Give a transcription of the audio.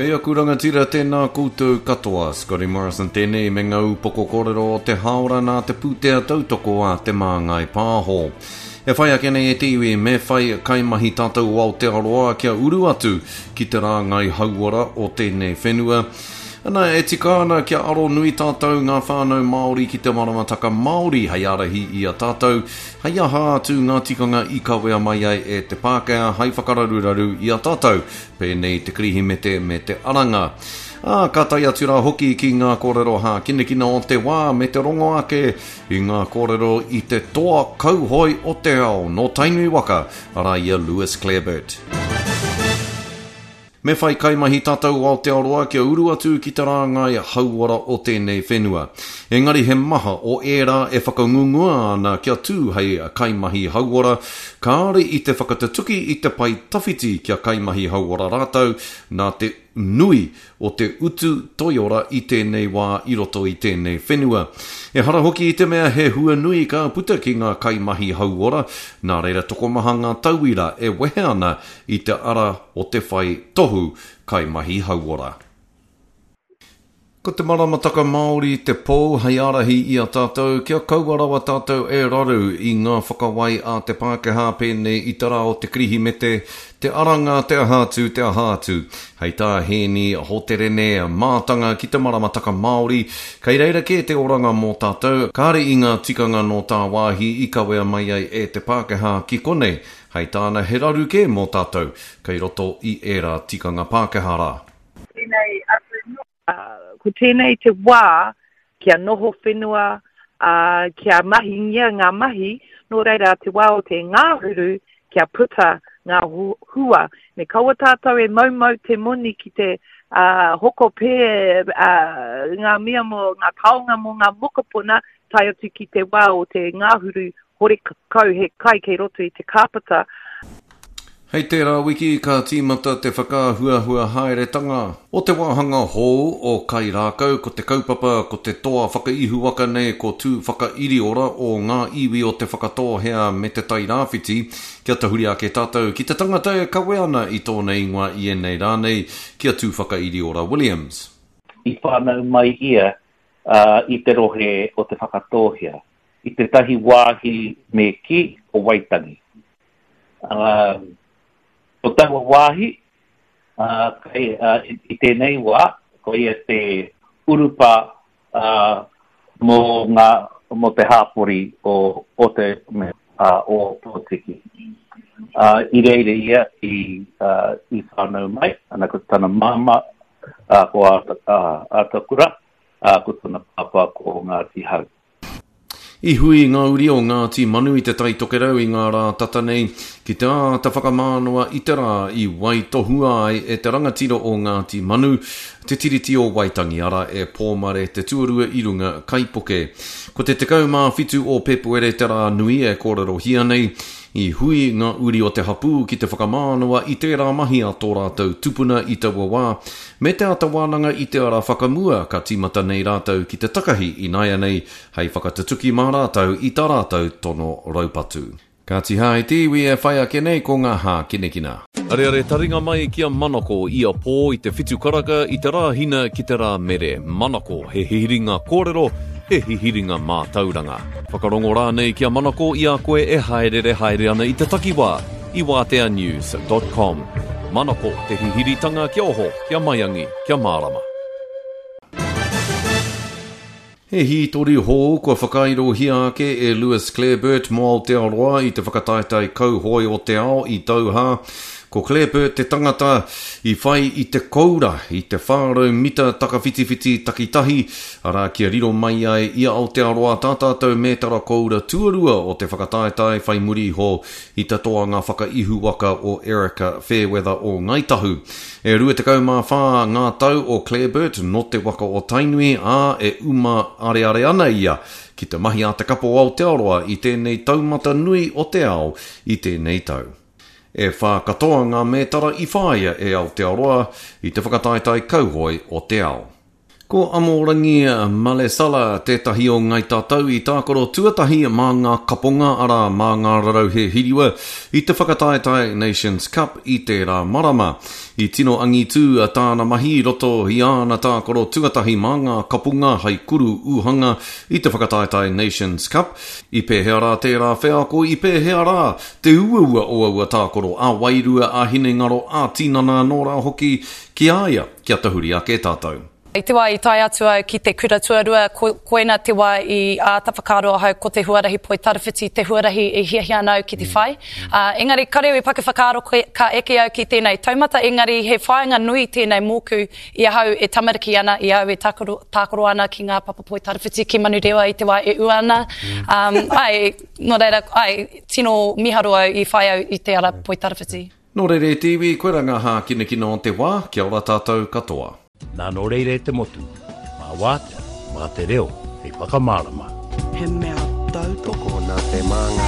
Kei aku rangatira tēnā koutou katoa, Scotty Morrison tēnei me ngā upoko kōrero o te hāora nā te pūtea tautoko a Te Māngai Pāho. E whai ake nei e te iwi me whai kaimahi tātou o Aotearoa kia uru atu ki te rāngai hauora o tēnei whenua. Ana, e tika ana kia aro nui tātou ngā whānau Māori ki te maramataka Māori hei ārahi i a tātou, hei aha atu ngā tikanga i kawea mai ai e te Pākehā hei whakararuraru i a tātou, pēnei te Kirihimete me te Aranga. Ā, ka tae atu rā hoki ki ngā kōrero hākinakina o te wā me te rongo ake i ngā kōrero i te toa kauhoe o te ao nō Tainui waka, arā i a Lewis Clareburt. Me whai kaimahi tātou o Aotearoa kia uru atu ki te rāngai hauora o tēnei whenua. Engari he maha o ērā e whakangungua ana kia tū hei kaimahi hauora, kāore i te whakatutuki i te pae tawhiti kia kaimahi hauora rātou nā te nui o te utu toiora i tēnei wā i roto i tēnei whenua. Ehara hoki i te mea he hua nui ka puta ki ngā kaimahi hauora, nā reira tokomaha ngā tauira e wehe ana i te ara o te whai tohu kaimahi hauora. Ko te maramataka Māori te pou hei ārahi i a tātou kia kaua rawa tātou e raru i ngā whakawai a te Pākehā pēnei i te rā o te Kirihimete, te Aranga, te aha atu, te aha atu. Hei tā Hēni Hoterene, mātanga ki te maramataka Māori, kei reira kē te oranga mō tātou, kāre i ngā tikanga nō tāwāhi i kawea mai ai e te Pākehā ki konei, Hei tāna he raru kē mō tātou kei roto i ērā tikanga Pākehā rā. Tēnei atu noa. Ko tēnei te wā kia noho whenua, ā, kia mahingia ngā mahi, nō reira te wā o te ngāhuru kia puta ngā hua. Me kaua tātou e moumou te moni ki te ā, hoko pē ā, ngā mea mō ngā taonga mō ngā mokopuna tae atu ki te wā o te ngāhuru Horekau he kai kei roto i te kāpata. Hei tērā wiki ka tīmata te whakaahuahua haeretanga o te wāhanga hou o Kairākau, ko te kaupapa ko te toa whakaihuwaka nei ko Tūwhakairiora o ngā iwi o Te Whakatōhea me Te Tairāwhiti. Kia tahuri ake tātou ki te tangata e kawe ana i tōna ingoa i ēnei rā nei, ki a Tūwhakairiora Williams. I whānau mai ia i te rohe o Te Whakatōhea. i tētahi wāhi me kī, ko Waitangi. Ā, ko taua wāhi, ā, kei, ā, i tēnei wā, koia te urupā, ā, mō ngā, mō te hāpori o, o te, me, ā, o Ōpōtiki. Ā, i reira ia i, ā, i whānau mai, ana ko tana māmā, ā, ko Āta, ā, Ātakura, ā, ko tana pāpā ko Ngāti Hau. I hui ngā uri o Ngāti Manu i Te Tai Tokerau i ngā rā tata nei ki te āta whakamānawa i te rā i waitohua ai e te rangatira o Ngāti Manu te Tiriti o Waitangi, arā, e Pōmare te tuarua i runga kaipuke. Ko te 17 o Pēpuere te rā nui e kōrerohia nei. I hui ngā uri o te hapū ki te whakamānawa i tērā mahi a tō rātou tupuna i taua wā, Me te āta wānanga i te ara whakamua ka tīmata nei rātou ki te takahi ināianei hei whakatutuki mā rātou i tā rātou tono raupatu. Kāti hā i te iwi e whai ake nei ko ngā hākinakina. Areare taringa mai ki a Manako ia pō i te whitu karaka i te Rāhina ki te Rāmere. Manako, he hihiringa kōrero, he hihiringa mātauranga. Whakarongo rānei ki a Manako i a koe e hāereere haere ana i te takiwā. i wāteanews dot com. Manako te hihiritanga kia oho, kia maiangi, kia mārama. He hītori hou kua whakairohia ake e Lewis Clareburt mō Aotearoa i te whakataetae kauhoe o te ao i Doha. Ko Clareburt te tangata i whai i te koura i te 400 mita takawhitiwhiti takitahi, arā kia riro mai ai i a Aotearoa tā tātou mētara koura tuarua o te whakataetae whai muri iho i te toanga whakaihuwaka o Erika Fairweather o Ngāi Tahu. E 24 ngā tau o Clareburt nō te waka o Tainui, ā, e uma areare ana ia ki te mahi a te kapo Aotearoa i tēnei taumata nui o te ao i tēnei tau. E whā katoa ngā mētara i whāia e Aotearoa i te whakataetae kauhoe o te ao. Ko Amorangi Malesala tētahi o Ngai Tatau i tākaro tuatahi mā ngā kaponga, arā, mā ngā rarauhe hiriwa, i te whakataetae Nations Cup i tērā marama. I tino angitū tāna mahi i roto i āna tākaro tuatahi mā ngā kapunga hai kuru uhanga i te whakataetae Nations Cup. I pēhea rā tērā wheako, i pēhea rā te uaua o aua tākaro ā-wairua, ā-hinengaro, ā-tinana anō rā hoki ki a ia? Kia tahuri ake tātou. I te wā i tae atu au ki te kura tuarua, ko, koina te wā i āta whakaaro ahau ko te huarahi poitarawhiti te huarahi e hiahia ana au ki te whai. Ā, engari kare au i paku whakaaro ka eke au ki tēnei taumata, engari he whāinga nui tēnei mōku i ahau e tamariki ana, i au e tākaro, tākaro ana ki ngā papa poitarawhiti ki Manurewa i te wā e ua ana. Um, āe, nō reira, āe, tino miharo au i whai au i te ara poitarawhiti. Nō reira e te iwi, koirā ngā hākinakina o te wā, kia ora tātou katoa. Nā nō reira e te motu, mā Wātea, mā te reo hei whakamārama. He mea tautoko nā te Māngai.